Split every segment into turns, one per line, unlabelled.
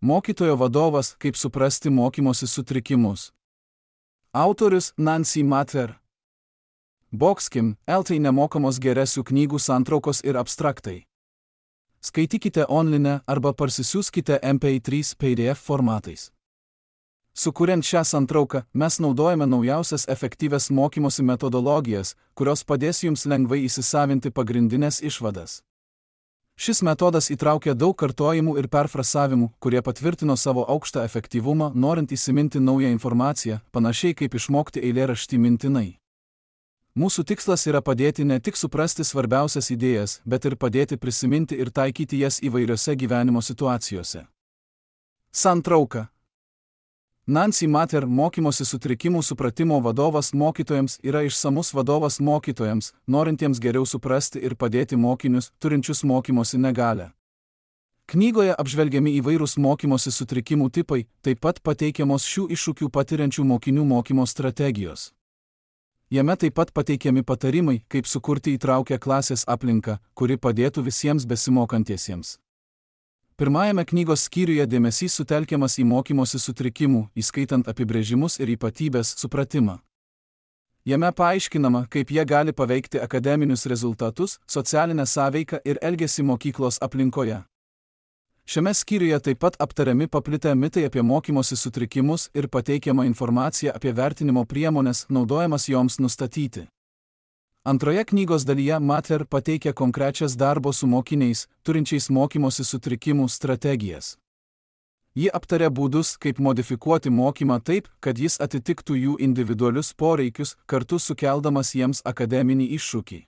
Mokytojo vadovas, kaip suprasti mokymosi sutrikimus. Autorius Nancy Matter. Boxkim, LT nemokamos geresių knygų santraukos ir abstraktai. Skaitykite online arba parsisiųskite MP3 PDF formatais. Sukuriant šią santrauką, mes naudojame naujausias efektyvias mokymosi metodologijas, kurios padės jums lengvai įsisavinti pagrindinės išvadas. Šis metodas įtraukia daug kartojimų ir perfrasavimų, kurie patvirtino savo aukštą efektyvumą, norint įsiminti naują informaciją, panašiai kaip išmokti eilėraštį mintinai. Mūsų tikslas yra padėti ne tik suprasti svarbiausias idėjas, bet ir padėti prisiminti ir taikyti jas įvairiose gyvenimo situacijose. Santrauka. Nancy Matter mokymosi sutrikimų supratimo vadovas mokytojams yra išsamus vadovas mokytojams, norintiems geriau suprasti ir padėti mokinius, turinčius mokymosi negalią. Knygoje apžvelgiami įvairūs mokymosi sutrikimų tipai, taip pat pateikiamos šių iššūkių patiriančių mokinių mokymo strategijos. Jame taip pat pateikiami patarimai, kaip sukurti įtraukę klasės aplinką, kuri padėtų visiems besimokantiesiems. Pirmajame knygos skyriuje dėmesys sutelkiamas į mokymosi sutrikimų, įskaitant apibrėžimus ir ypatybės supratimą. Jame paaiškinama, kaip jie gali paveikti akademinius rezultatus, socialinę sąveiką ir elgesį mokyklos aplinkoje. Šiame skyriuje taip pat aptariami paplitę mitai apie mokymosi sutrikimus ir pateikiama informacija apie vertinimo priemones, naudojamas joms nustatyti. Antroje knygos dalyje Matter pateikia konkrečias darbo su mokiniais, turinčiais mokymosi sutrikimų strategijas. Ji aptaria būdus, kaip modifikuoti mokymą taip, kad jis atitiktų jų individualius poreikius, kartu sukeldamas jiems akademinį iššūkį.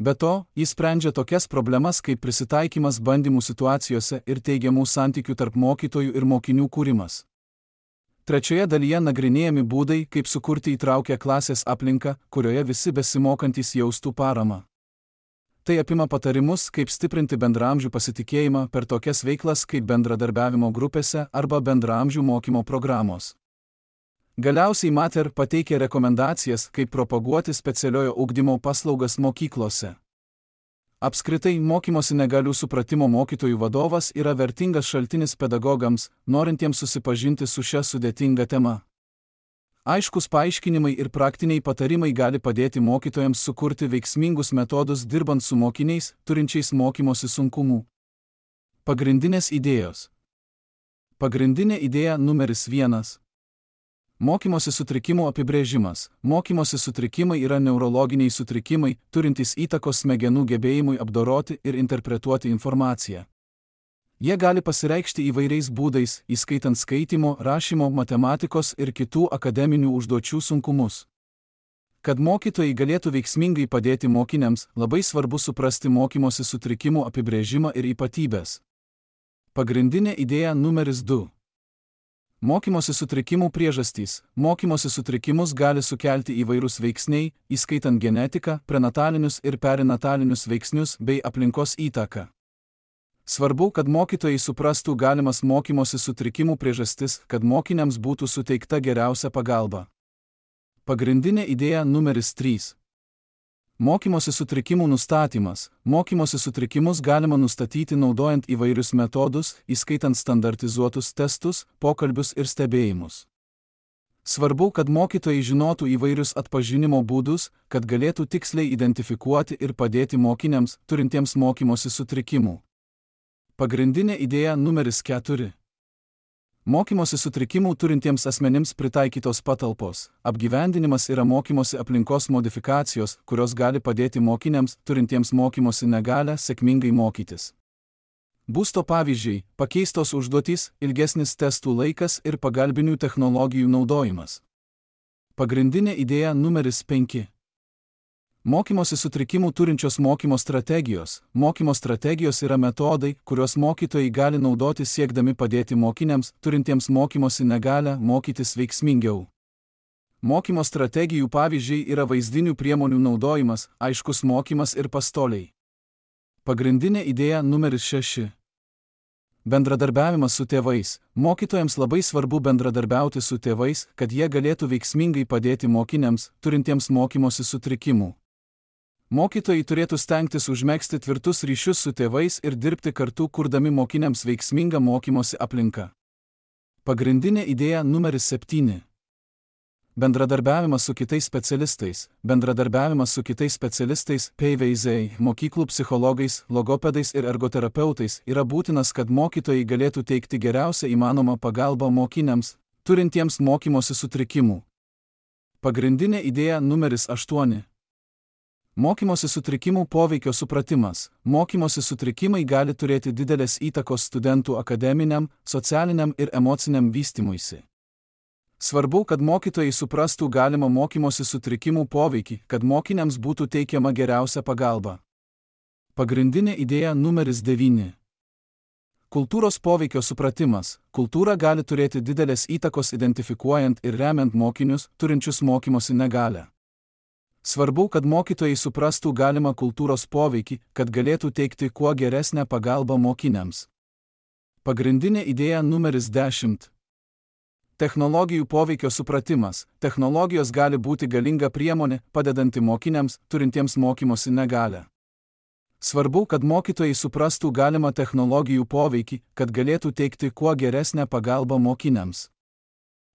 Be to, jis sprendžia tokias problemas kaip prisitaikymas bandymų situacijose ir teigiamų santykių tarp mokytojų ir mokinių kūrimas. Trečioje dalyje nagrinėjami būdai, kaip sukurti įtraukę klasės aplinką, kurioje visi besimokantys jaustų paramą. Tai apima patarimus, kaip stiprinti bendraamžių pasitikėjimą per tokias veiklas kaip bendradarbiavimo grupėse arba bendraamžių mokymo programos. Galiausiai Matter pateikia rekomendacijas, kaip propaguoti specialiojo ugdymo paslaugas mokyklose. Apskritai, mokymosi negalių supratimo mokytojų vadovas yra vertingas šaltinis pedagogams, norintiems susipažinti su šia sudėtinga tema. Aiškus paaiškinimai ir praktiniai patarimai gali padėti mokytojams sukurti veiksmingus metodus dirbant su mokiniais, turinčiais mokymosi sunkumų. Pagrindinės idėjos. Pagrindinė idėja numeris 1. Mokymosi sutrikimų apibrėžimas. Mokymosi sutrikimai yra neurologiniai sutrikimai, turintys įtakos smegenų gebėjimui apdoroti ir interpretuoti informaciją. Jie gali pasireikšti įvairiais būdais, įskaitant skaitymo, rašymo, matematikos ir kitų akademinių užduočių sunkumus. Kad mokytojai galėtų veiksmingai padėti mokiniams, labai svarbu suprasti mokymosi sutrikimų apibrėžimą ir ypatybės. Pagrindinė idėja numeris 2. Mokymosi sutrikimų priežastys. Mokymosi sutrikimus gali sukelti įvairūs veiksniai, įskaitant genetiką, prenatalinius ir perinatalinius veiksnius bei aplinkos įtaką. Svarbu, kad mokytojai suprastų galimas mokymosi sutrikimų priežastis, kad mokiniams būtų suteikta geriausia pagalba. Pagrindinė idėja numeris 3. Mokymosi sutrikimų nustatymas. Mokymosi sutrikimus galima nustatyti naudojant įvairius metodus, įskaitant standartizuotus testus, pokalbius ir stebėjimus. Svarbu, kad mokytojai žinotų įvairius atpažinimo būdus, kad galėtų tiksliai identifikuoti ir padėti mokiniams, turintiems mokymosi sutrikimų. Pagrindinė idėja numeris 4. Mokymosi sutrikimų turintiems asmenims pritaikytos patalpos. Apgyvendinimas yra mokymosi aplinkos modifikacijos, kurios gali padėti mokiniams, turintiems mokymosi negalią, sėkmingai mokytis. Būsto pavyzdžiai, pakeistos užduotys, ilgesnis testų laikas ir pagalbinių technologijų naudojimas. Pagrindinė idėja numeris 5. Mokymosi sutrikimų turinčios mokymo strategijos. Mokymo strategijos yra metodai, kuriuos mokytojai gali naudoti siekdami padėti mokiniams, turintiems mokymosi negalią, mokytis veiksmingiau. Mokymo strategijų pavyzdžiai yra vaizdinių priemonių naudojimas, aiškus mokymas ir pastoliai. Pagrindinė idėja numeris 6. Bendradarbiavimas su tėvais. Mokytojams labai svarbu bendradarbiauti su tėvais, kad jie galėtų veiksmingai padėti mokiniams, turintiems mokymosi sutrikimų. Mokytojai turėtų stengtis užmegzti tvirtus ryšius su tėvais ir dirbti kartu, kurdami mokiniams veiksmingą mokymosi aplinką. Pagrindinė idėja numeris 7. Bendradarbiavimas su kitais specialistais. Bendradarbiavimas su kitais specialistais, PVZ, mokyklų psichologais, logopedais ir ergoterapeutais yra būtinas, kad mokytojai galėtų teikti geriausią įmanomą pagalbą mokiniams, turintiems mokymosi sutrikimų. Pagrindinė idėja numeris 8. Mokymosi sutrikimų poveikio supratimas. Mokymosi sutrikimai gali turėti didelės įtakos studentų akademiniam, socialiniam ir emociniam vystymuisi. Svarbu, kad mokytojai suprastų galimą mokymosi sutrikimų poveikį, kad mokiniams būtų teikiama geriausia pagalba. Pagrindinė idėja numeris 9. Kultūros poveikio supratimas. Kultūra gali turėti didelės įtakos identifikuojant ir remiant mokinius, turinčius mokymosi negalią. Svarbu, kad mokytojai suprastų galimą kultūros poveikį, kad galėtų teikti kuo geresnę pagalbą mokiniams. Pagrindinė idėja numeris 10. Technologijų poveikio supratimas. Technologijos gali būti galinga priemonė, padedanti mokiniams, turintiems mokymosi negalią. Svarbu, kad mokytojai suprastų galimą technologijų poveikį, kad galėtų teikti kuo geresnę pagalbą mokiniams.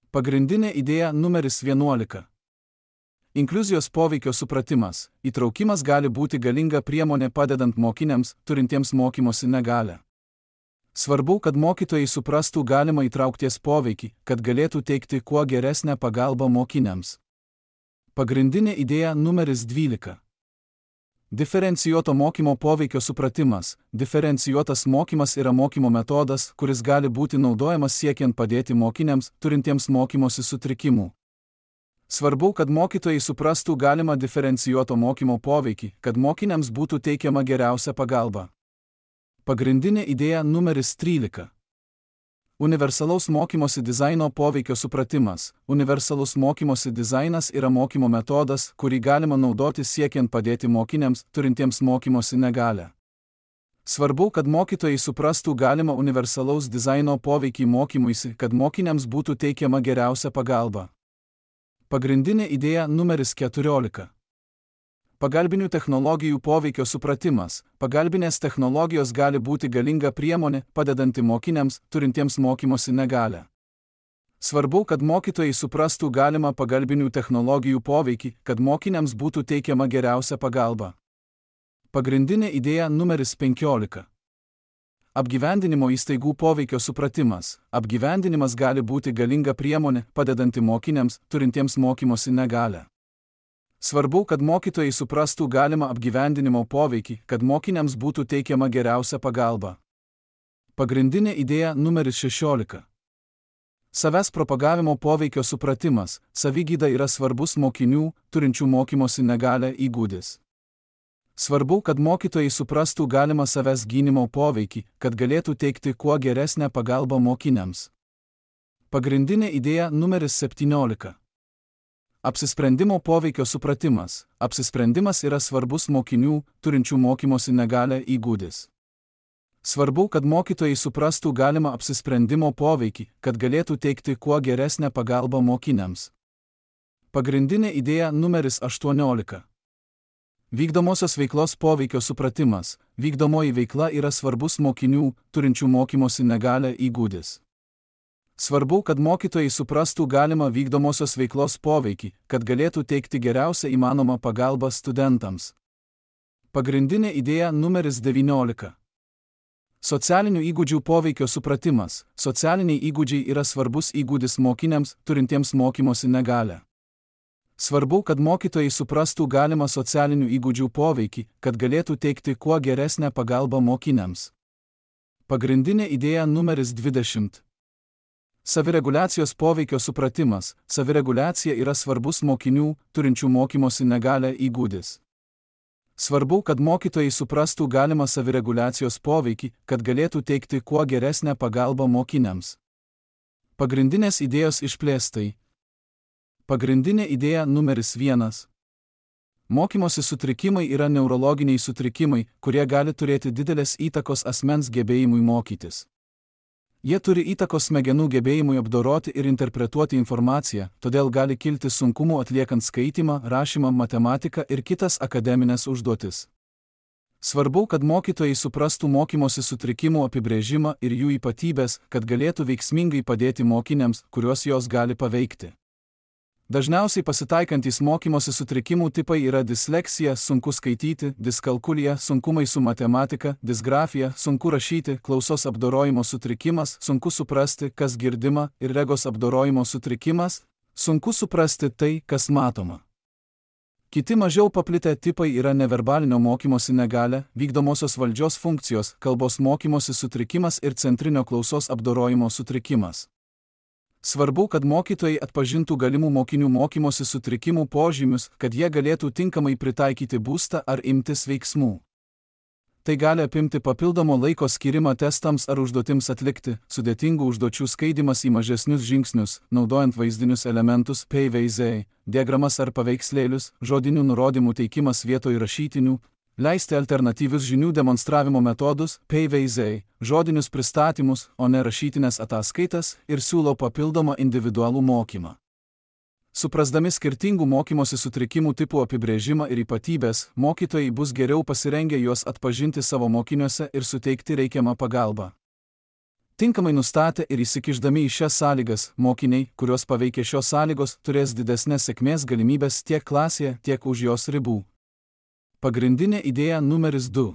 Pagrindinė idėja numeris 11. Inkliuzijos poveikio supratimas. Įtraukimas gali būti galinga priemonė padedant mokiniams, turintiems mokymosi negalią. Svarbu, kad mokytojai suprastų galimą įtraukties poveikį, kad galėtų teikti kuo geresnę pagalbą mokiniams. Pagrindinė idėja numeris 12. Diferencijuoto mokymo poveikio supratimas. Diferencijuotas mokymas yra mokymo metodas, kuris gali būti naudojamas siekiant padėti mokiniams, turintiems mokymosi sutrikimų. Svarbu, kad mokytojai suprastų galimą diferencijuoto mokymo poveikį, kad mokiniams būtų teikiama geriausia pagalba. Pagrindinė idėja numeris 13. Universalaus mokymosi dizaino poveikio supratimas. Universalus mokymosi dizainas yra mokymo metodas, kurį galima naudoti siekiant padėti mokiniams, turintiems mokymosi negalią. Svarbu, kad mokytojai suprastų galimą universalaus dizaino poveikį mokymuisi, kad mokiniams būtų teikiama geriausia pagalba. Pagrindinė idėja numeris 14. Pagalbinių technologijų poveikio supratimas. Pagalbinės technologijos gali būti galinga priemonė, padedanti mokiniams, turintiems mokymosi negalią. Svarbu, kad mokytojai suprastų galimą pagalbinių technologijų poveikį, kad mokiniams būtų teikiama geriausia pagalba. Pagrindinė idėja numeris 15. Apgyvendinimo įstaigų poveikio supratimas. Apgyvendinimas gali būti galinga priemonė, padedanti mokiniams, turintiems mokymosi negalią. Svarbu, kad mokytojai suprastų galimą apgyvendinimo poveikį, kad mokiniams būtų teikiama geriausia pagalba. Pagrindinė idėja numeris 16. Savęs propagavimo poveikio supratimas. Savigyda yra svarbus mokinių, turinčių mokymosi negalią įgūdis. Svarbu, kad mokytojai suprastų galimą savęs gynimo poveikį, kad galėtų teikti kuo geresnę pagalbą mokiniams. Pagrindinė idėja numeris 17. Apsisprendimo poveikio supratimas. Apsisprendimas yra svarbus mokinių, turinčių mokymosi negalią įgūdis. Svarbu, kad mokytojai suprastų galimą apsisprendimo poveikį, kad galėtų teikti kuo geresnę pagalbą mokiniams. Pagrindinė idėja numeris 18. Vykdomosios veiklos poveikio supratimas. Vykdomoji veikla yra svarbus mokinių, turinčių mokymosi negalią įgūdis. Svarbu, kad mokytojai suprastų galimą vykdomosios veiklos poveikį, kad galėtų teikti geriausią įmanomą pagalbą studentams. Pagrindinė idėja numeris 19. Socialinių įgūdžių poveikio supratimas. Socialiniai įgūdžiai yra svarbus įgūdis mokiniams, turintiems mokymosi negalią. Svarbu, kad mokytojai suprastų galimą socialinių įgūdžių poveikį, kad galėtų teikti kuo geresnę pagalbą mokiniams. Pagrindinė idėja numeris 20. Savireguliacijos poveikio supratimas. Savireguliacija yra svarbus mokinių, turinčių mokymosi negalią įgūdis. Svarbu, kad mokytojai suprastų galimą savireguliacijos poveikį, kad galėtų teikti kuo geresnę pagalbą mokiniams. Pagrindinės idėjos išplėstai. Pagrindinė idėja numeris 1. Mokymosi sutrikimai yra neurologiniai sutrikimai, kurie gali turėti didelės įtakos asmens gebėjimui mokytis. Jie turi įtakos smegenų gebėjimui apdoroti ir interpretuoti informaciją, todėl gali kilti sunkumų atliekant skaitymą, rašymą, matematiką ir kitas akademinės užduotis. Svarbu, kad mokytojai suprastų mokymosi sutrikimų apibrėžimą ir jų ypatybės, kad galėtų veiksmingai padėti mokiniams, kuriuos jos gali paveikti. Dažniausiai pasitaikantys mokymosi sutrikimų tipai yra disleksija, sunku skaityti, diskalkulija, sunkumai su matematika, disgrafija, sunku rašyti, klausos apdorojimo sutrikimas, sunku suprasti, kas girdima, ir regos apdorojimo sutrikimas, sunku suprasti tai, kas matoma. Kiti mažiau paplitę tipai yra neverbalinio mokymosi negalia, vykdomosios valdžios funkcijos, kalbos mokymosi sutrikimas ir centrinio klausos apdorojimo sutrikimas. Svarbu, kad mokytojai atpažintų galimų mokinių mokymosi sutrikimų požymius, kad jie galėtų tinkamai pritaikyti būstą ar imtis veiksmų. Tai gali apimti papildomo laiko skirimą testams ar užduotims atlikti, sudėtingų užduočių skaidimas į mažesnius žingsnius, naudojant vaizdinius elementus, PVZ, diagramas ar paveikslėlius, žodinių nurodymų teikimas vietoj rašytinių, leisti alternatyvius žinių demonstravimo metodus, PVZ, žodinius pristatymus, o ne rašytinės ataskaitas ir siūlo papildomą individualų mokymą. Suprasdami skirtingų mokymosi sutrikimų tipų apibrėžimą ir ypatybės, mokytojai bus geriau pasirengę juos atpažinti savo mokiniuose ir suteikti reikiamą pagalbą. Tinkamai nustatę ir įsikišdami į šias sąlygas, mokiniai, kuriuos paveikia šios sąlygos, turės didesnės sėkmės galimybės tiek klasėje, tiek už jos ribų. Pagrindinė idėja numeris 2.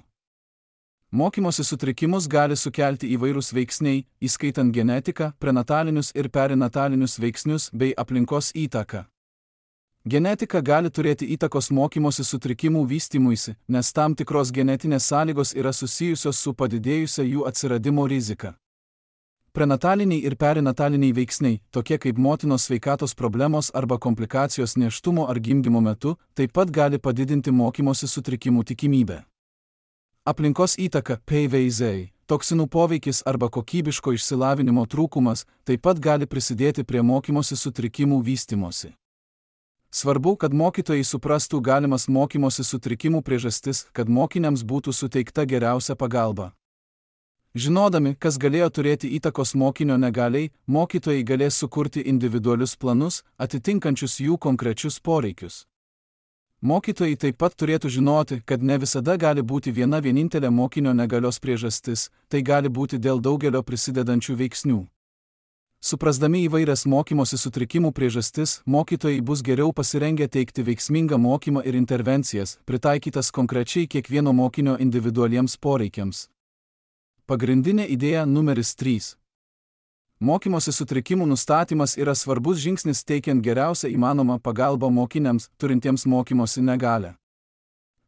Mokymosi sutrikimus gali sukelti įvairūs veiksniai, įskaitant genetiką, prenatalinius ir perinatalinius veiksnius bei aplinkos įtaką. Genetika gali turėti įtakos mokymosi sutrikimų vystymuisi, nes tam tikros genetinės sąlygos yra susijusios su padidėjusia jų atsiradimo rizika. Prenataliniai ir perinataliniai veiksniai, tokie kaip motinos sveikatos problemos arba komplikacijos nėštumo ar gimdymo metu, taip pat gali padidinti mokymosi sutrikimų tikimybę. Aplinkos įtaka, PVZ, toksinų poveikis arba kokybiško išsilavinimo trūkumas taip pat gali prisidėti prie mokymosi sutrikimų vystymosi. Svarbu, kad mokytojai suprastų galimas mokymosi sutrikimų priežastis, kad mokiniams būtų suteikta geriausia pagalba. Žinodami, kas galėjo turėti įtakos mokinio negaliai, mokytojai galės sukurti individualius planus, atitinkančius jų konkrečius poreikius. Mokytojai taip pat turėtų žinoti, kad ne visada gali būti viena vienintelė mokinio negalios priežastis, tai gali būti dėl daugelio prisidedančių veiksnių. Suprasdami įvairias mokymosi sutrikimų priežastis, mokytojai bus geriau pasirengę teikti veiksmingą mokymą ir intervencijas, pritaikytas konkrečiai kiekvieno mokinio individualiems poreikiams. Pagrindinė idėja numeris 3. Mokymosi sutrikimų nustatymas yra svarbus žingsnis teikiant geriausią įmanomą pagalbą mokiniams, turintiems mokymosi negalią.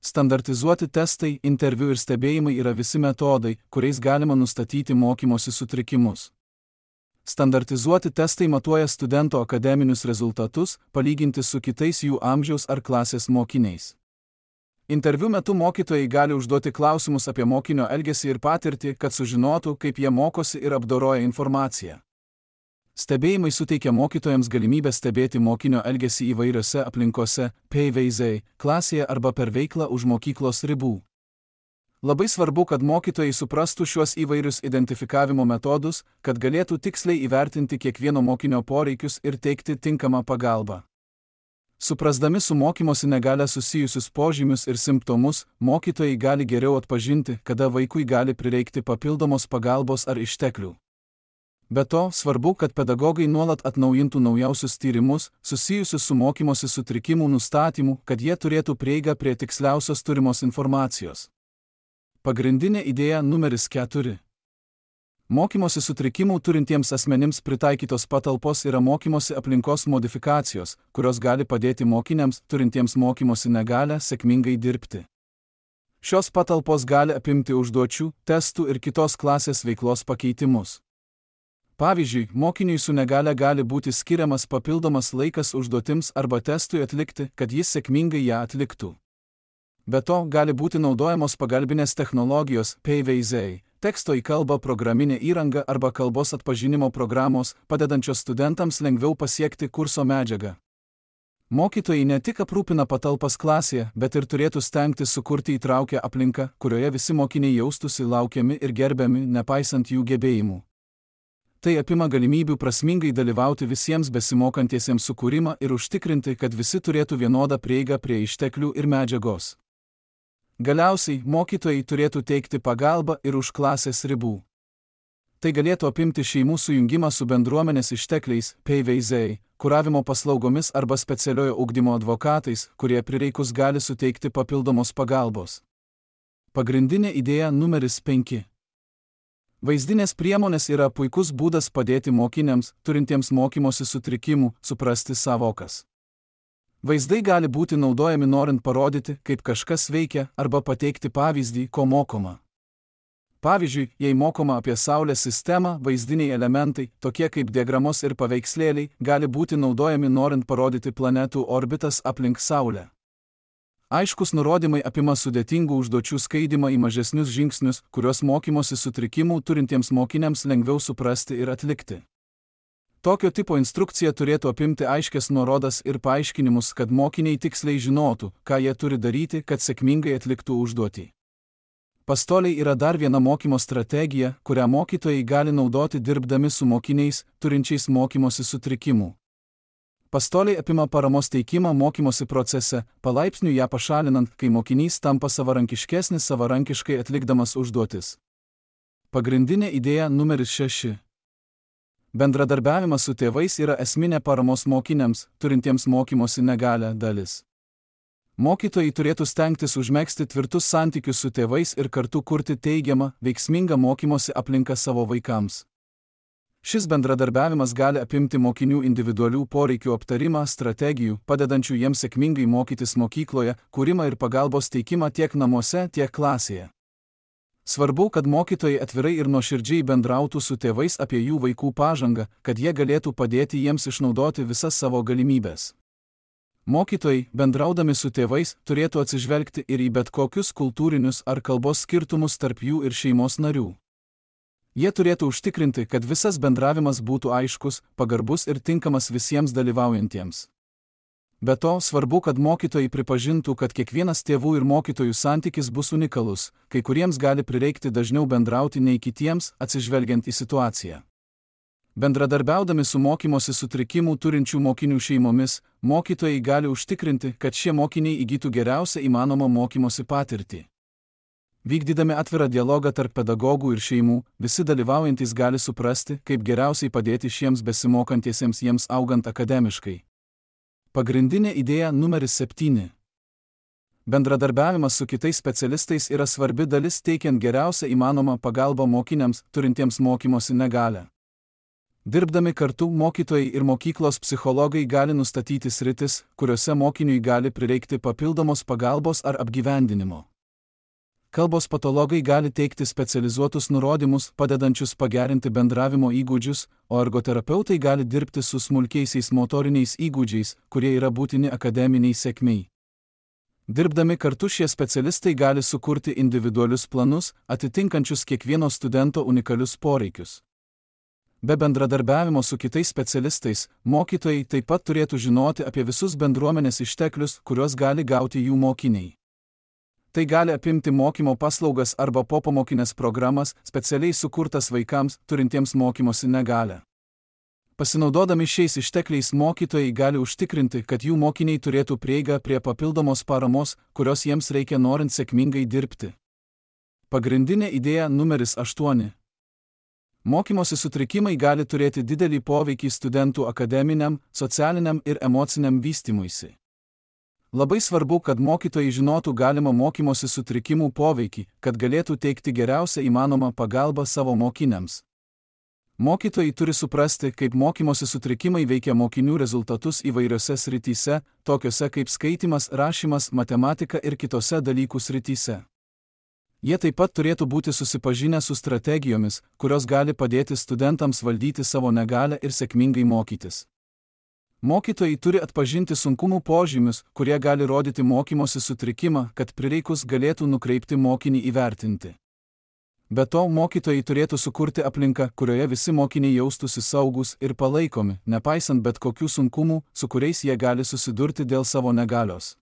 Standartizuoti testai, interviu ir stebėjimai yra visi metodai, kuriais galima nustatyti mokymosi sutrikimus. Standartizuoti testai matuoja studento akademinius rezultatus, palyginti su kitais jų amžiaus ar klasės mokiniais. Interviu metu mokytojai gali užduoti klausimus apie mokinio elgesį ir patirtį, kad sužinotų, kaip jie mokosi ir apdoroja informaciją. Stebėjimai suteikia mokytojams galimybę stebėti mokinio elgesį įvairiose aplinkose, PVZ, klasėje arba per veiklą už mokyklos ribų. Labai svarbu, kad mokytojai suprastų šiuos įvairius identifikavimo metodus, kad galėtų tiksliai įvertinti kiekvieno mokinio poreikius ir teikti tinkamą pagalbą. Suprasdami su mokymosi negalia susijusius požymius ir simptomus, mokytojai gali geriau atpažinti, kada vaikui gali prireikti papildomos pagalbos ar išteklių. Be to, svarbu, kad pedagogai nuolat atnaujintų naujausius tyrimus, susijusius su mokymosi sutrikimų nustatymu, kad jie turėtų prieigą prie tiksliausios turimos informacijos. Pagrindinė idėja numeris 4. Mokymosi sutrikimų turintiems asmenims pritaikytos patalpos yra mokymosi aplinkos modifikacijos, kurios gali padėti mokiniams, turintiems mokymosi negalią, sėkmingai dirbti. Šios patalpos gali apimti užduočių, testų ir kitos klasės veiklos pakeitimus. Pavyzdžiui, mokiniui su negalia gali būti skiriamas papildomas laikas užduotims arba testui atlikti, kad jis sėkmingai ją atliktų. Be to, gali būti naudojamos pagalbinės technologijos, PVZ, teksto į kalbą programinė įranga arba kalbos atpažinimo programos, padedančios studentams lengviau pasiekti kurso medžiagą. Mokytojai ne tik aprūpina patalpas klasėje, bet ir turėtų stengtis sukurti įtraukę aplinką, kurioje visi mokiniai jaustųsi laukiami ir gerbiami, nepaisant jų gebėjimų. Tai apima galimybių prasmingai dalyvauti visiems besimokantiesiems sukūrimą ir užtikrinti, kad visi turėtų vienodą prieigą prie išteklių ir medžiagos. Galiausiai, mokytojai turėtų teikti pagalbą ir už klasės ribų. Tai galėtų apimti šeimų sujungimą su bendruomenės ištekliais, PVZ, kuravimo paslaugomis arba specialiojo ugdymo advokatais, kurie prireikus gali suteikti papildomos pagalbos. Pagrindinė idėja numeris 5. Vaizdinės priemonės yra puikus būdas padėti mokiniams, turintiems mokymosi sutrikimų, suprasti sąvokas. Vaizdai gali būti naudojami norint parodyti, kaip kažkas veikia, arba pateikti pavyzdį, ko mokoma. Pavyzdžiui, jei mokoma apie Saulės sistemą, vaizdiniai elementai, tokie kaip diagramos ir paveikslėliai, gali būti naudojami norint parodyti planetų orbitas aplink Saulę. Aiškus nurodymai apima sudėtingų užduočių skaidymą į mažesnius žingsnius, kuriuos mokymosi sutrikimų turintiems mokiniams lengviau suprasti ir atlikti. Tokio tipo instrukcija turėtų apimti aiškias nuorodas ir paaiškinimus, kad mokiniai tiksliai žinotų, ką jie turi daryti, kad sėkmingai atliktų užduotį. Pastoliai yra dar viena mokymo strategija, kurią mokytojai gali naudoti dirbdami su mokiniais, turinčiais mokymosi sutrikimų. Pastoliai apima paramos teikimą mokymosi procese, palaipsniui ją pašalinant, kai mokinys tampa savarankiškesnis savarankiškai atlikdamas užduotis. Pagrindinė idėja numeris 6. Bendradarbiavimas su tėvais yra esminė paramos mokiniams, turintiems mokymosi negalią dalis. Mokytojai turėtų stengtis užmegzti tvirtus santykius su tėvais ir kartu kurti teigiamą, veiksmingą mokymosi aplinką savo vaikams. Šis bendradarbiavimas gali apimti mokinių individualių poreikių aptarimą, strategijų, padedančių jiems sėkmingai mokytis mokykloje, kūrimą ir pagalbos teikimą tiek namuose, tiek klasėje. Svarbu, kad mokytojai atvirai ir nuoširdžiai bendrautų su tėvais apie jų vaikų pažangą, kad jie galėtų padėti jiems išnaudoti visas savo galimybes. Mokytojai, bendraudami su tėvais, turėtų atsižvelgti ir į bet kokius kultūrinius ar kalbos skirtumus tarp jų ir šeimos narių. Jie turėtų užtikrinti, kad visas bendravimas būtų aiškus, pagarbus ir tinkamas visiems dalyvaujantiems. Be to, svarbu, kad mokytojai pripažintų, kad kiekvienas tėvų ir mokytojų santykis bus unikalus, kai kuriems gali prireikti dažniau bendrauti nei kitiems, atsižvelgiant į situaciją. Bendradarbiaudami su mokymosi sutrikimų turinčių mokinių šeimomis, mokytojai gali užtikrinti, kad šie mokiniai įgytų geriausią įmanomą mokymosi patirtį. Vykdydami atvirą dialogą tarp pedagogų ir šeimų, visi dalyvaujantys gali suprasti, kaip geriausiai padėti šiems besimokantiesiems jiems augant akademiškai. Pagrindinė idėja numeris 7. Bendradarbiavimas su kitais specialistais yra svarbi dalis teikiant geriausią įmanomą pagalbą mokiniams, turintiems mokymosi negalią. Dirbdami kartu, mokytojai ir mokyklos psichologai gali nustatyti sritis, kuriuose mokiniui gali prireikti papildomos pagalbos ar apgyvendinimo. Kalbos patologai gali teikti specializuotus nurodymus, padedančius pagerinti bendravimo įgūdžius, o ergoterapeutai gali dirbti su smulkiaisiais motoriniais įgūdžiais, kurie yra būtini akademiniai sėkmei. Dirbdami kartu šie specialistai gali sukurti individualius planus, atitinkančius kiekvieno studento unikalius poreikius. Be bendradarbiavimo su kitais specialistais, mokytojai taip pat turėtų žinoti apie visus bendruomenės išteklius, kuriuos gali gauti jų mokiniai. Tai gali apimti mokymo paslaugas arba popamokinės programas, specialiai sukurtas vaikams, turintiems mokymosi negalią. Pasinaudodami šiais ištekliais mokytojai gali užtikrinti, kad jų mokiniai turėtų prieigą prie papildomos paramos, kurios jiems reikia norint sėkmingai dirbti. Pagrindinė idėja numeris 8. Mokymosi sutrikimai gali turėti didelį poveikį studentų akademiniam, socialiniam ir emociniam vystymuisi. Labai svarbu, kad mokytojai žinotų galimą mokymosi sutrikimų poveikį, kad galėtų teikti geriausią įmanomą pagalbą savo mokiniams. Mokytojai turi suprasti, kaip mokymosi sutrikimai veikia mokinių rezultatus įvairiose srityse, tokiose kaip skaitymas, rašymas, matematika ir kitose dalykų srityse. Jie taip pat turėtų būti susipažinę su strategijomis, kurios gali padėti studentams valdyti savo negalią ir sėkmingai mokytis. Mokytojai turi atpažinti sunkumų požymius, kurie gali rodyti mokymosi sutrikimą, kad prireikus galėtų nukreipti mokinį įvertinti. Be to, mokytojai turėtų sukurti aplinką, kurioje visi mokiniai jaustųsi saugūs ir palaikomi, nepaisant bet kokių sunkumų, su kuriais jie gali susidurti dėl savo negalios.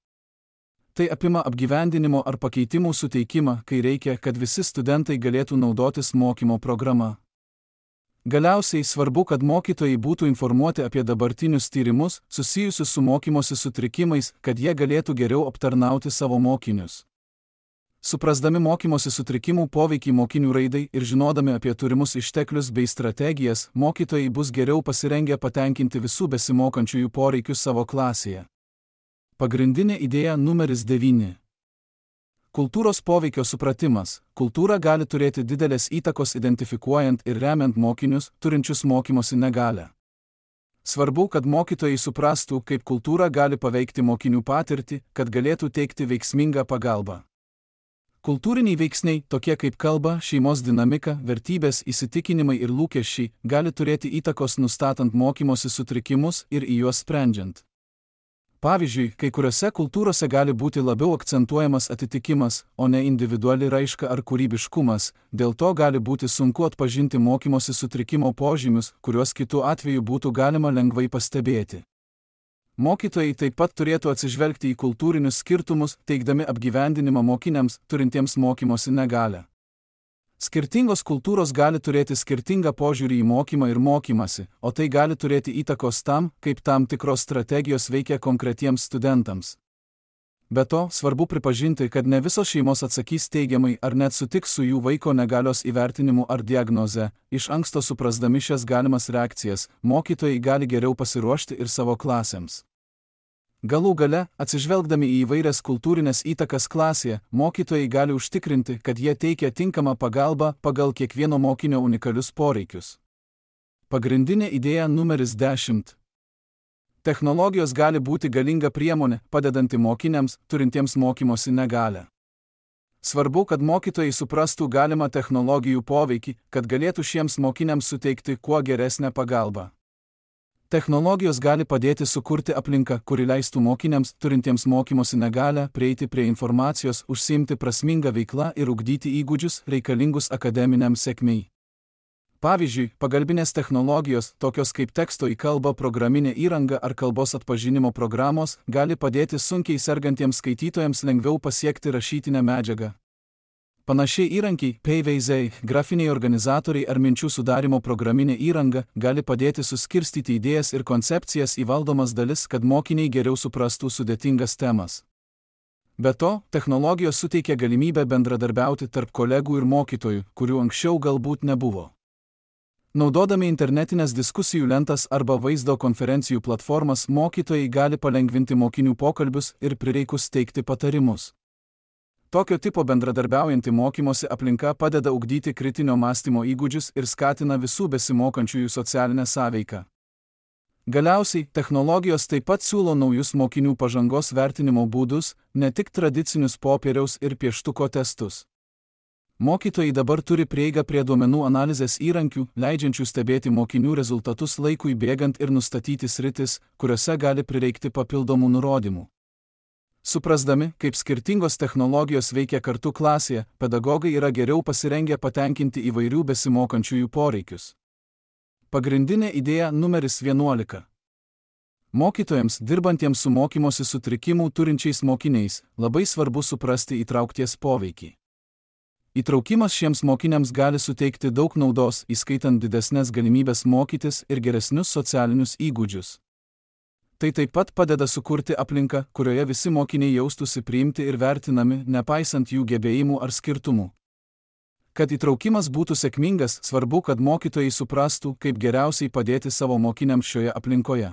Tai apima apgyvendinimo ar pakeitimų suteikimą, kai reikia, kad visi studentai galėtų naudotis mokymo programa. Galiausiai svarbu, kad mokytojai būtų informuoti apie dabartinius tyrimus susijusius su mokymosi sutrikimais, kad jie galėtų geriau aptarnauti savo mokinius. Suprasdami mokymosi sutrikimų poveikį mokinių raidai ir žinodami apie turimus išteklius bei strategijas, mokytojai bus geriau pasirengę patenkinti visų besimokančiųjų poreikius savo klasėje. Pagrindinė idėja numeris 9. Kultūros poveikio supratimas. Kultūra gali turėti didelės įtakos identifikuojant ir remiant mokinius, turinčius mokymosi negalią. Svarbu, kad mokytojai suprastų, kaip kultūra gali paveikti mokinių patirtį, kad galėtų teikti veiksmingą pagalbą. Kultūriniai veiksniai, tokie kaip kalba, šeimos dinamika, vertybės, įsitikinimai ir lūkesčiai, gali turėti įtakos nustatant mokymosi sutrikimus ir į juos sprendžiant. Pavyzdžiui, kai kuriuose kultūrose gali būti labiau akcentuojamas atitikimas, o ne individuali raiška ar kūrybiškumas, dėl to gali būti sunku atpažinti mokymosi sutrikimo požymius, kuriuos kitu atveju būtų galima lengvai pastebėti. Mokytojai taip pat turėtų atsižvelgti į kultūrinius skirtumus, teikdami apgyvendinimą mokiniams, turintiems mokymosi negalią. Skirtingos kultūros gali turėti skirtingą požiūrį į mokymą ir mokymasi, o tai gali turėti įtakos tam, kaip tam tikros strategijos veikia konkretiems studentams. Be to, svarbu pripažinti, kad ne visos šeimos atsakys teigiamai ar net sutiks su jų vaiko negalios įvertinimu ar diagnoze. Iš anksto suprasdami šias galimas reakcijas, mokytojai gali geriau pasiruošti ir savo klasėms. Galų gale, atsižvelgdami į įvairias kultūrinės įtakas klasėje, mokytojai gali užtikrinti, kad jie teikia tinkamą pagalbą pagal kiekvieno mokinio unikalius poreikius. Pagrindinė idėja numeris 10. Technologijos gali būti galinga priemonė, padedanti mokiniams, turintiems mokymosi negalią. Svarbu, kad mokytojai suprastų galimą technologijų poveikį, kad galėtų šiems mokiniams suteikti kuo geresnę pagalbą. Technologijos gali padėti sukurti aplinką, kuri leistų mokiniams, turintiems mokymosi negalią, prieiti prie informacijos, užsiimti prasmingą veiklą ir ugdyti įgūdžius reikalingus akademiniam sėkmei. Pavyzdžiui, pagalbinės technologijos, tokios kaip teksto į kalbą programinė įranga ar kalbos atpažinimo programos, gali padėti sunkiai sergantiems skaitytojams lengviau pasiekti rašytinę medžiagą. Panašiai įrankiai, paveiksliai, grafiniai organizatoriai ar minčių sudarimo programinė įranga gali padėti suskirstyti idėjas ir koncepcijas į valdomas dalis, kad mokiniai geriau suprastų sudėtingas temas. Be to, technologijos suteikia galimybę bendradarbiauti tarp kolegų ir mokytojų, kurių anksčiau galbūt nebuvo. Naudodami internetinės diskusijų lentas arba vaizdo konferencijų platformas, mokytojai gali palengvinti mokinių pokalbius ir prireikus teikti patarimus. Tokio tipo bendradarbiaujanti mokymosi aplinka padeda ugdyti kritinio mąstymo įgūdžius ir skatina visų besimokančiųjų socialinę sąveiką. Galiausiai, technologijos taip pat siūlo naujus mokinių pažangos vertinimo būdus, ne tik tradicinius popieriaus ir pieštuko testus. Mokytojai dabar turi prieigą prie duomenų analizės įrankių, leidžiančių stebėti mokinių rezultatus laikui bėgant ir nustatyti sritis, kuriuose gali prireikti papildomų nurodymų. Suprasdami, kaip skirtingos technologijos veikia kartu klasėje, pedagogai yra geriau pasirengę patenkinti įvairių besimokančiųjų poreikius. Pagrindinė idėja numeris 11. Mokytojams, dirbantiems su mokymosi sutrikimų turinčiais mokiniais, labai svarbu suprasti įtraukties poveikį. Įtraukimas šiems mokiniams gali suteikti daug naudos, įskaitant didesnės galimybės mokytis ir geresnius socialinius įgūdžius. Tai taip pat padeda sukurti aplinką, kurioje visi mokiniai jaustųsi priimti ir vertinami, nepaisant jų gebėjimų ar skirtumų. Kad įtraukimas būtų sėkmingas, svarbu, kad mokytojai suprastų, kaip geriausiai padėti savo mokiniams šioje aplinkoje.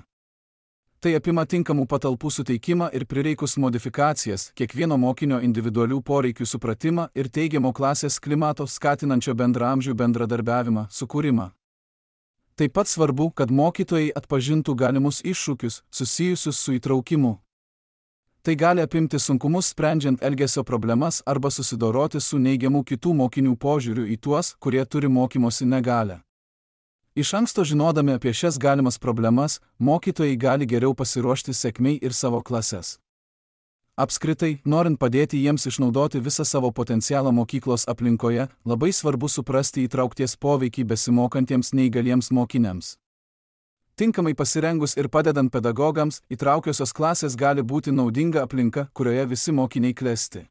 Tai apima tinkamų patalpų suteikimą ir prireikus modifikacijas, kiekvieno mokinio individualių poreikių supratimą ir teigiamo klasės klimato skatinančio bendraamžių bendradarbiavimą, sukūrimą. Taip pat svarbu, kad mokytojai atpažintų galimus iššūkius, susijusius su įtraukimu. Tai gali apimti sunkumus sprendžiant elgesio problemas arba susidoroti su neigiamu kitų mokinių požiūriu į tuos, kurie turi mokymosi negalią. Iš anksto žinodami apie šias galimas problemas, mokytojai gali geriau pasiruošti sėkmei ir savo klases. Apskritai, norint padėti jiems išnaudoti visą savo potencialą mokyklos aplinkoje, labai svarbu suprasti įtraukties poveikį besimokantiems neįgaliems mokiniams. Tinkamai pasirengus ir padedant pedagogams, įtraukiosios klasės gali būti naudinga aplinka, kurioje visi mokiniai klesti.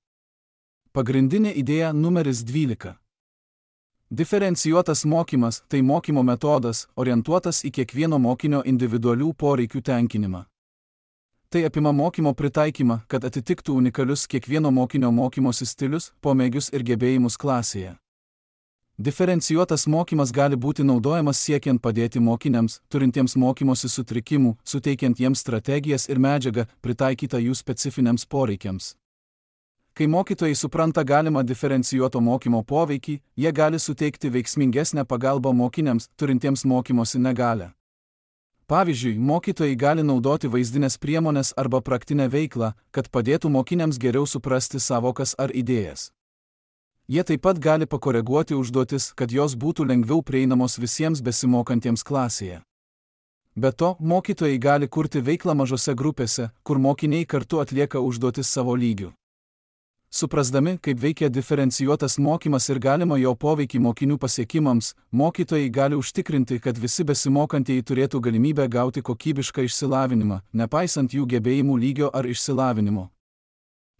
Pagrindinė idėja numeris 12. Diferencijuotas mokymas – tai mokymo metodas, orientuotas į kiekvieno mokinio individualių poreikių tenkinimą. Tai apima mokymo pritaikymą, kad atitiktų unikalius kiekvieno mokinio mokymosi stilius, pomėgius ir gebėjimus klasėje. Diferencijuotas mokymas gali būti naudojamas siekiant padėti mokiniams, turintiems mokymosi sutrikimų, suteikiant jiems strategijas ir medžiagą, pritaikytą jų specifiniams poreikiams. Kai mokytojai supranta galimą diferencijuoto mokymo poveikį, jie gali suteikti veiksmingesnę pagalbą mokiniams, turintiems mokymosi negalią. Pavyzdžiui, mokytojai gali naudoti vaizdinės priemones arba praktinę veiklą, kad padėtų mokiniams geriau suprasti sąvokas ar idėjas. Jie taip pat gali pakoreguoti užduotis, kad jos būtų lengviau prieinamos visiems besimokantiems klasėje. Be to, mokytojai gali kurti veiklą mažose grupėse, kur mokiniai kartu atlieka užduotis savo lygiu. Suprasdami, kaip veikia diferencijuotas mokymas ir galima jo poveikį mokinių pasiekimams, mokytojai gali užtikrinti, kad visi besimokantieji turėtų galimybę gauti kokybišką išsilavinimą, nepaisant jų gebėjimų lygio ar išsilavinimo.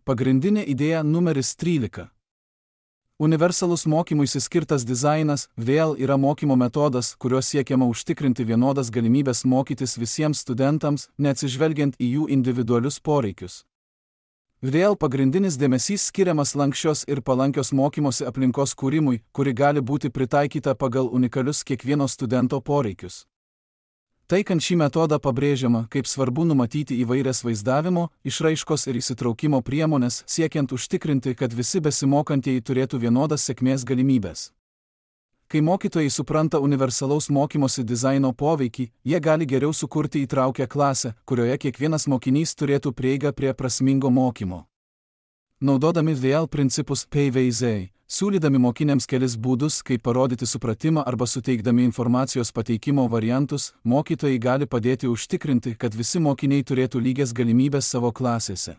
Pagrindinė idėja numeris 13. Universalus mokymuisi skirtas dizainas vėl yra mokymo metodas, kuriuo siekiama užtikrinti vienodas galimybės mokytis visiems studentams, neatsižvelgiant į jų individualius poreikius. Vėl pagrindinis dėmesys skiriamas lanksčios ir palankios mokymosi aplinkos kūrimui, kuri gali būti pritaikyta pagal unikalius kiekvieno studento poreikius. Taikant šį metodą pabrėžiama, kaip svarbu numatyti įvairias vaizdavimo, išraiškos ir įsitraukimo priemonės, siekiant užtikrinti, kad visi besimokantieji turėtų vienodas sėkmės galimybės. Kai mokytojai supranta universalaus mokymosi dizaino poveikį, jie gali geriau sukurti įtraukią klasę, kurioje kiekvienas mokinys turėtų prieigą prie prasmingo mokymo. Naudodami VL principus PVZ, siūlydami mokiniams kelis būdus, kaip parodyti supratimą arba suteikdami informacijos pateikimo variantus, mokytojai gali padėti užtikrinti, kad visi mokiniai turėtų lygias galimybės savo klasėse.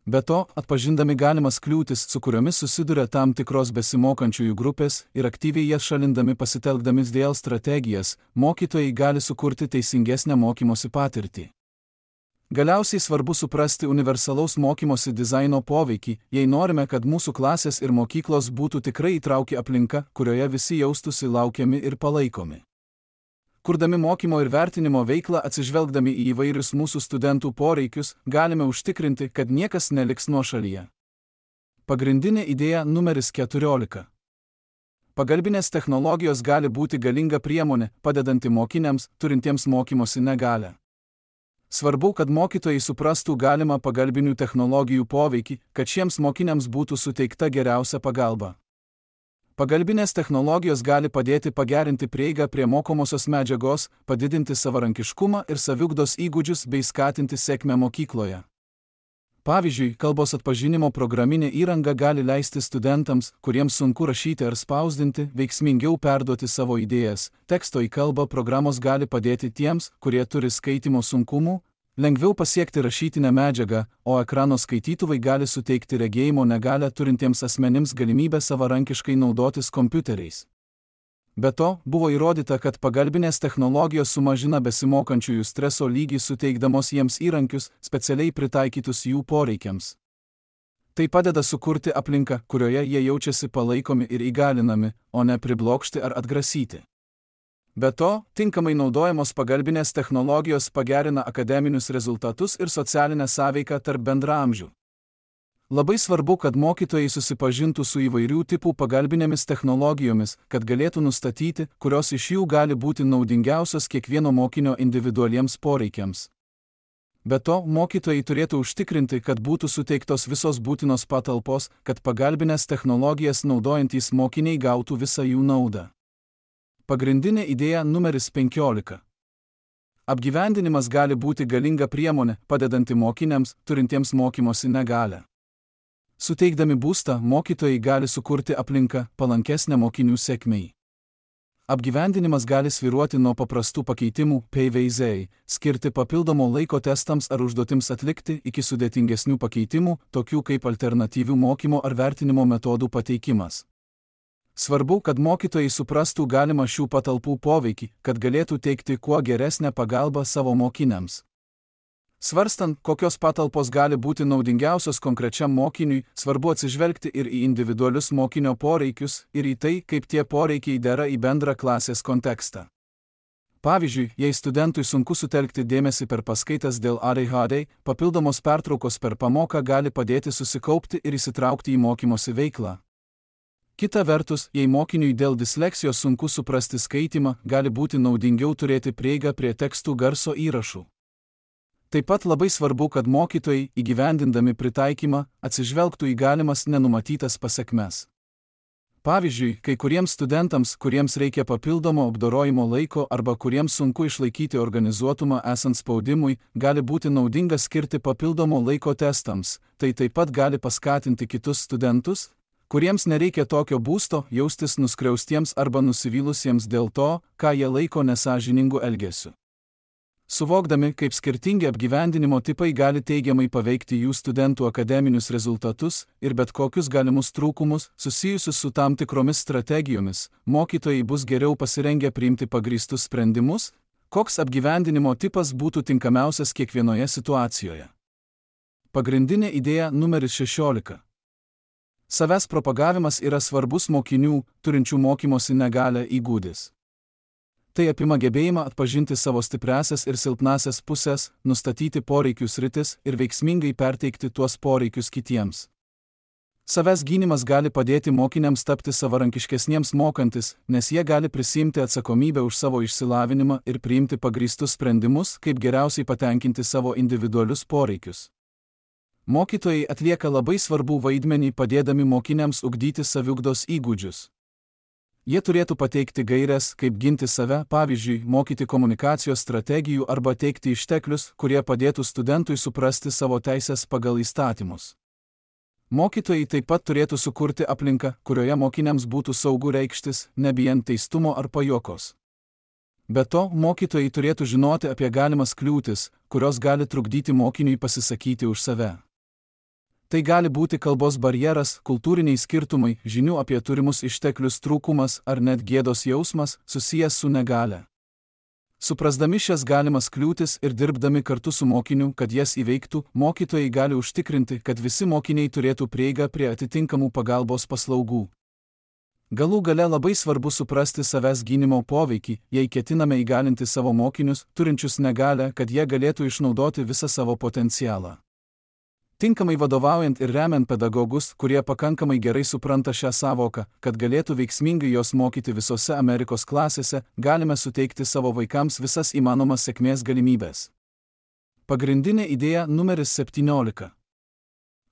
Be to, atpažindami galimas kliūtis, su kuriomis susiduria tam tikros besimokančiųjų grupės ir aktyviai jas šalindami pasitelkdami VL strategijas, mokytojai gali sukurti teisingesnę mokymosi patirtį. Galiausiai svarbu suprasti universalaus mokymosi dizaino poveikį, jei norime, kad mūsų klasės ir mokyklos būtų tikrai įtrauki aplinka, kurioje visi jaustųsi laukiami ir palaikomi. Kurdami mokymo ir vertinimo veiklą atsižvelgdami į įvairius mūsų studentų poreikius, galime užtikrinti, kad niekas neliks nuošalyje. Pagrindinė idėja numeris 14. Pagalbinės technologijos gali būti galinga priemonė, padedanti mokiniams, turintiems mokymosi negalią. Svarbu, kad mokytojai suprastų galimą pagalbinių technologijų poveikį, kad šiems mokiniams būtų suteikta geriausia pagalba. Pagalbinės technologijos gali padėti pagerinti prieigą prie mokomosios medžiagos, padidinti savarankiškumą ir saviugdos įgūdžius bei skatinti sėkmę mokykloje. Pavyzdžiui, kalbos atpažinimo programinė įranga gali leisti studentams, kuriems sunku rašyti ar spausdinti, veiksmingiau perduoti savo idėjas. Teksto į kalbą programos gali padėti tiems, kurie turi skaitymo sunkumų, lengviau pasiekti rašytinę medžiagą, o ekrano skaitytuvai gali suteikti regėjimo negalią turintiems asmenims galimybę savarankiškai naudotis kompiuteriais. Be to, buvo įrodyta, kad pagalbinės technologijos sumažina besimokančiųjų streso lygį suteikdamos jiems įrankius, specialiai pritaikytus jų poreikiams. Tai padeda sukurti aplinką, kurioje jie jaučiasi palaikomi ir įgalinami, o ne priblokšti ar atgrasyti. Be to, tinkamai naudojamos pagalbinės technologijos pagerina akademinius rezultatus ir socialinę sąveiką tarp bendraamžių. Labai svarbu, kad mokytojai susipažintų su įvairių tipų pagalbinėmis technologijomis, kad galėtų nustatyti, kurios iš jų gali būti naudingiausios kiekvieno mokinio individualiems poreikiams. Be to, mokytojai turėtų užtikrinti, kad būtų suteiktos visos būtinos patalpos, kad pagalbinės technologijas naudojantys mokiniai gautų visą jų naudą. Pagrindinė idėja numeris 15. Apgyvendinimas gali būti galinga priemonė, padedanti mokiniams, turintiems mokymosi negalią. Suteikdami būstą, mokytojai gali sukurti aplinką, palankesnę mokinių sėkmei. Apgyvendinimas gali svyruoti nuo paprastų pakeitimų, PVZ, skirti papildomo laiko testams ar užduotims atlikti, iki sudėtingesnių pakeitimų, tokių kaip alternatyvių mokymo ar vertinimo metodų pateikimas. Svarbu, kad mokytojai suprastų galimą šių patalpų poveikį, kad galėtų teikti kuo geresnę pagalbą savo mokiniams. Svarstant, kokios patalpos gali būti naudingiausios konkrečiam mokiniui, svarbu atsižvelgti ir į individualius mokinio poreikius, ir į tai, kaip tie poreikiai dera į bendrą klasės kontekstą. Pavyzdžiui, jei studentui sunku sutelkti dėmesį per paskaitas dėl ADHD, papildomos pertraukos per pamoką gali padėti susikaupti ir įsitraukti į mokymosi veiklą. Kita vertus, jei mokiniui dėl disleksijos sunku suprasti skaitymą, gali būti naudingiau turėti prieigą prie tekstų garso įrašų. Taip pat labai svarbu, kad mokytojai, įgyvendindami pritaikymą, atsižvelgtų į galimas nenumatytas pasekmes. Pavyzdžiui, kai kuriems studentams, kuriems reikia papildomo apdorojimo laiko arba kuriems sunku išlaikyti organizuotumą esant spaudimui, gali būti naudinga skirti papildomo laiko testams, tai taip pat gali paskatinti kitus studentus, kuriems nereikia tokio būsto, jaustis nuskriaustiems arba nusivylusiems dėl to, ką jie laiko nesąžiningu elgesiu. Suvokdami, kaip skirtingi apgyvendinimo tipai gali teigiamai paveikti jų studentų akademinius rezultatus ir bet kokius galimus trūkumus susijusius su tam tikromis strategijomis, mokytojai bus geriau pasirengę priimti pagrįstus sprendimus, koks apgyvendinimo tipas būtų tinkamiausias kiekvienoje situacijoje. Pagrindinė idėja numeris 16. Savęs propagavimas yra svarbus mokinių, turinčių mokymosi negalią įgūdis. Tai apima gebėjimą atpažinti savo stipriąsias ir silpnąsias pusės, nustatyti poreikių sritis ir veiksmingai perteikti tuos poreikius kitiems. Savęs gynimas gali padėti mokiniams tapti savarankiškesniems mokantis, nes jie gali prisiimti atsakomybę už savo išsilavinimą ir priimti pagrįstus sprendimus, kaip geriausiai patenkinti savo individualius poreikius. Mokytojai atlieka labai svarbų vaidmenį padėdami mokiniams ugdyti saviugdos įgūdžius. Jie turėtų pateikti gaires, kaip ginti save, pavyzdžiui, mokyti komunikacijos strategijų arba teikti išteklius, kurie padėtų studentui suprasti savo teisės pagal įstatymus. Mokytojai taip pat turėtų sukurti aplinką, kurioje mokiniams būtų saugu reikštis, nebijant teistumo ar pajuokos. Be to, mokytojai turėtų žinoti apie galimas kliūtis, kurios gali trukdyti mokiniui pasisakyti už save. Tai gali būti kalbos barjeras, kultūriniai skirtumai, žinių apie turimus išteklius trūkumas ar net gėdos jausmas susijęs su negalia. Suprasdami šias galimas kliūtis ir dirbdami kartu su mokiniu, kad jas įveiktų, mokytojai gali užtikrinti, kad visi mokiniai turėtų prieigą prie atitinkamų pagalbos paslaugų. Galų gale labai svarbu suprasti savęs gynimo poveikį, jei ketiname įgalinti savo mokinius, turinčius negalią, kad jie galėtų išnaudoti visą savo potencialą. Tinkamai vadovaujant ir remiant pedagogus, kurie pakankamai gerai supranta šią savoką, kad galėtų veiksmingai jos mokyti visose Amerikos klasėse, galime suteikti savo vaikams visas įmanomas sėkmės galimybės. Pagrindinė idėja numeris 17.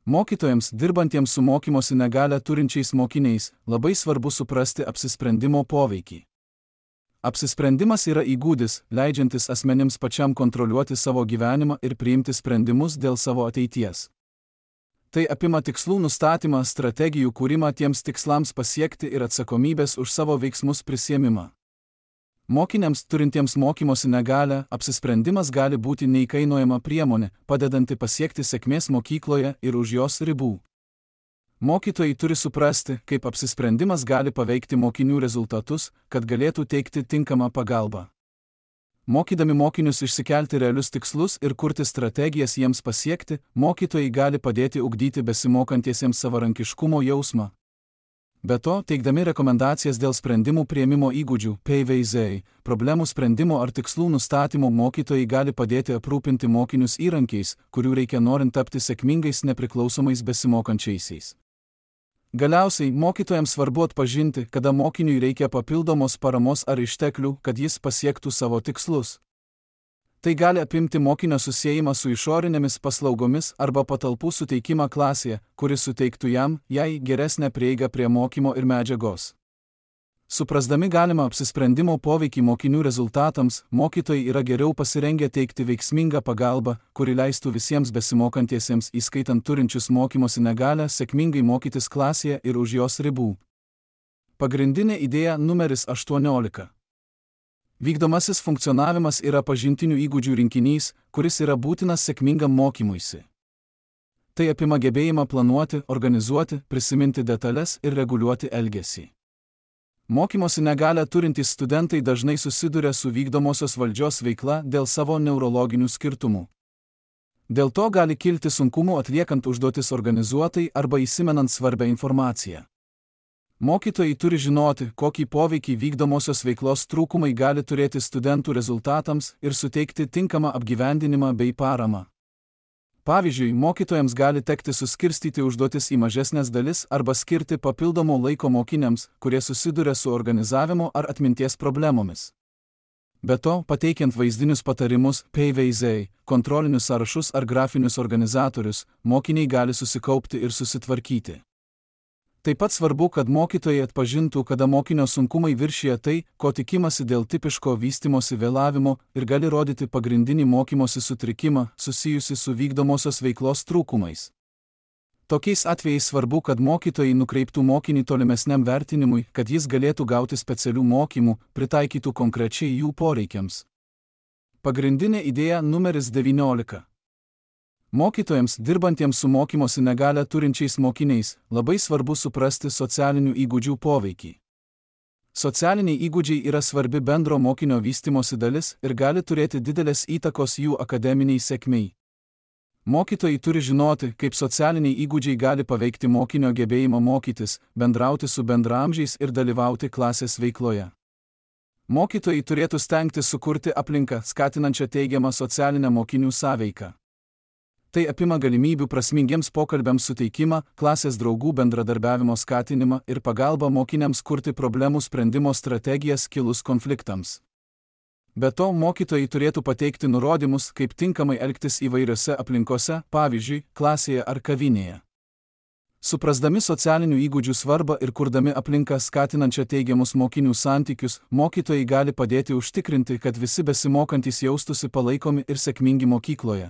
Mokytojams, dirbantiems su mokymosi negalią turinčiais mokiniais, labai svarbu suprasti apsisprendimo poveikį. Apsisprendimas yra įgūdis, leidžiantis asmenims pačiam kontroliuoti savo gyvenimą ir priimti sprendimus dėl savo ateities. Tai apima tikslų nustatymą, strategijų kūrimą tiems tikslams pasiekti ir atsakomybės už savo veiksmus prisiėmimą. Mokiniams, turintiems mokymosi negalią, apsisprendimas gali būti neįkainojama priemonė, padedanti pasiekti sėkmės mokykloje ir už jos ribų. Mokytojai turi suprasti, kaip apsisprendimas gali paveikti mokinių rezultatus, kad galėtų teikti tinkamą pagalbą. Mokydami mokinius išsikelti realius tikslus ir kurti strategijas jiems pasiekti, mokytojai gali padėti ugdyti besimokantiesiems savarankiškumo jausmą. Be to, teikdami rekomendacijas dėl sprendimų priėmimo įgūdžių, PVZ, problemų sprendimo ar tikslų nustatymo, mokytojai gali padėti aprūpinti mokinius įrankiais, kurių reikia norint tapti sėkmingais nepriklausomais besimokančiaisiais. Galiausiai, mokytojams svarbu atpažinti, kada mokiniui reikia papildomos paramos ar išteklių, kad jis pasiektų savo tikslus. Tai gali apimti mokinio susiejimą su išorinėmis paslaugomis arba patalpų suteikimą klasėje, kuris suteiktų jai geresnę prieigą prie mokymo ir medžiagos. Suprasdami galimą apsisprendimo poveikį mokinių rezultatams, mokytojai yra geriau pasirengę teikti veiksmingą pagalbą, kuri leistų visiems besimokantiesiems, įskaitant turinčius mokymosi negalią, sėkmingai mokytis klasėje ir už jos ribų. Pagrindinė idėja numeris 18. Vykdomasis funkcionavimas yra pažintinių įgūdžių rinkinys, kuris yra būtinas sėkmingam mokymuisi. Tai apima gebėjimą planuoti, organizuoti, prisiminti detalės ir reguliuoti elgesį. Mokymosi negalią turintys studentai dažnai susiduria su vykdomosios valdžios veikla dėl savo neurologinių skirtumų. Dėl to gali kilti sunkumų atliekant užduotis organizuotai arba įsimenant svarbią informaciją. Mokytojai turi žinoti, kokį poveikį vykdomosios veiklos trūkumai gali turėti studentų rezultatams ir suteikti tinkamą apgyvendinimą bei paramą. Pavyzdžiui, mokytojams gali tekti suskirstyti užduotis į mažesnės dalis arba skirti papildomo laiko mokiniams, kurie susiduria su organizavimo ar atminties problemomis. Be to, pateikiant vaizdinius patarimus, PVZ, kontrolinius sąrašus ar grafinius organizatorius, mokiniai gali susikaupti ir susitvarkyti. Taip pat svarbu, kad mokytojai atpažintų, kada mokinio sunkumai viršija tai, ko tikimasi dėl tipiško vystymosi vėlavimo ir gali rodyti pagrindinį mokymosi sutrikimą susijusi su vykdomosios veiklos trūkumais. Tokiais atvejais svarbu, kad mokytojai nukreiptų mokinį tolimesniam vertinimui, kad jis galėtų gauti specialių mokymų, pritaikytų konkrečiai jų poreikiams. Pagrindinė idėja numeris 19. Mokytojams, dirbantiems su mokymosi negalią turinčiais mokiniais, labai svarbu suprasti socialinių įgūdžių poveikį. Socialiniai įgūdžiai yra svarbi bendro mokinio vystymosi dalis ir gali turėti didelės įtakos jų akademiniai sėkmei. Mokytojai turi žinoti, kaip socialiniai įgūdžiai gali paveikti mokinio gebėjimą mokytis, bendrauti su bendraamžiais ir dalyvauti klasės veikloje. Mokytojai turėtų stengtis sukurti aplinką, skatinančią teigiamą socialinę mokinių sąveiką. Tai apima galimybių prasmingiems pokalbiams suteikimą, klasės draugų bendradarbiavimo skatinimą ir pagalbą mokiniams kurti problemų sprendimo strategijas kilus konfliktams. Be to, mokytojai turėtų pateikti nurodymus, kaip tinkamai elgtis įvairiose aplinkose, pavyzdžiui, klasėje ar kavinėje. Suprasdami socialinių įgūdžių svarbą ir kurdami aplinką skatinančią teigiamus mokinių santykius, mokytojai gali padėti užtikrinti, kad visi besimokantys jaustųsi palaikomi ir sėkmingi mokykloje.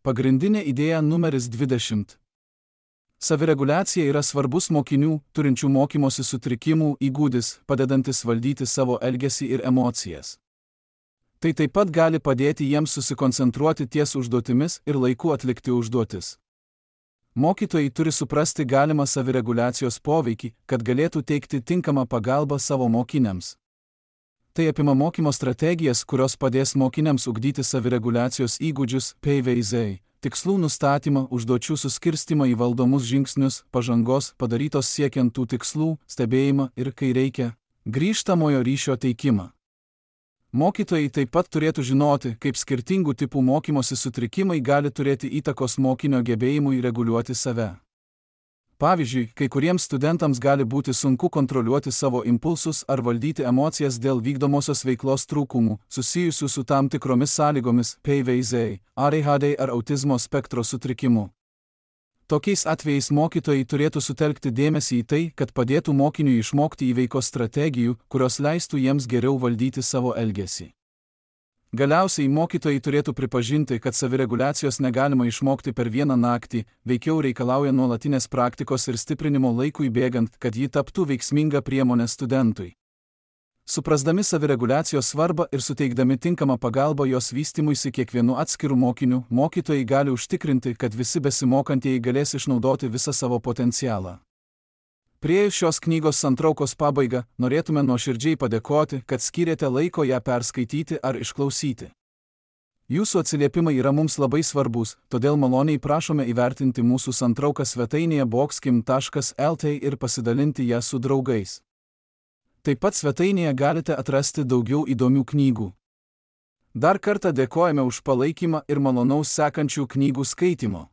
Pagrindinė idėja numeris 20. Savireguliacija yra svarbus mokinių, turinčių mokymosi sutrikimų įgūdis, padedantis valdyti savo elgesį ir emocijas. Tai taip pat gali padėti jiems susikoncentruoti ties užduotimis ir laiku atlikti užduotis. Mokytojai turi suprasti galimą savireguliacijos poveikį, kad galėtų teikti tinkamą pagalbą savo mokiniams. Tai apima mokymo strategijas, kurios padės mokiniams ugdyti savireguliacijos įgūdžius, PVZ, tikslų nustatymą, užduočių suskirstimą į valdomus žingsnius, pažangos padarytos siekiant tų tikslų, stebėjimą ir, kai reikia, grįžtamojo ryšio teikimą. Mokytojai taip pat turėtų žinoti, kaip skirtingų tipų mokymosi sutrikimai gali turėti įtakos mokinio gebėjimui reguliuoti save. Pavyzdžiui, kai kuriems studentams gali būti sunku kontroliuoti savo impulsus ar valdyti emocijas dėl vykdomosios veiklos trūkumų, susijusių su tam tikromis sąlygomis, PVZ, ADHD ar autizmo spektro sutrikimu. Tokiais atvejais mokytojai turėtų sutelkti dėmesį į tai, kad padėtų mokiniui išmokti įveikos strategijų, kurios leistų jiems geriau valdyti savo elgesį. Galiausiai mokytojai turėtų pripažinti, kad savireguliacijos negalima išmokti per vieną naktį, veikiau reikalauja nuolatinės praktikos ir stiprinimo laikui bėgant, kad ji taptų veiksminga priemonė studentui. Suprasdami savireguliacijos svarbą ir suteikdami tinkamą pagalbą jos vystymuisi kiekvienu atskiru mokiniu, mokytojai gali užtikrinti, kad visi besimokantieji galės išnaudoti visą savo potencialą. Priėjus šios knygos santraukos pabaigą, norėtume nuoširdžiai padėkoti, kad skyrėte laiko ją perskaityti ar išklausyti. Jūsų atsiliepimai yra mums labai svarbus, todėl maloniai prašome įvertinti mūsų santrauką svetainėje boxkim.lt ir pasidalinti ją su draugais. Taip pat svetainėje galite atrasti daugiau įdomių knygų. Dar kartą dėkojame už palaikymą ir malonaus sekančių knygų skaitimo.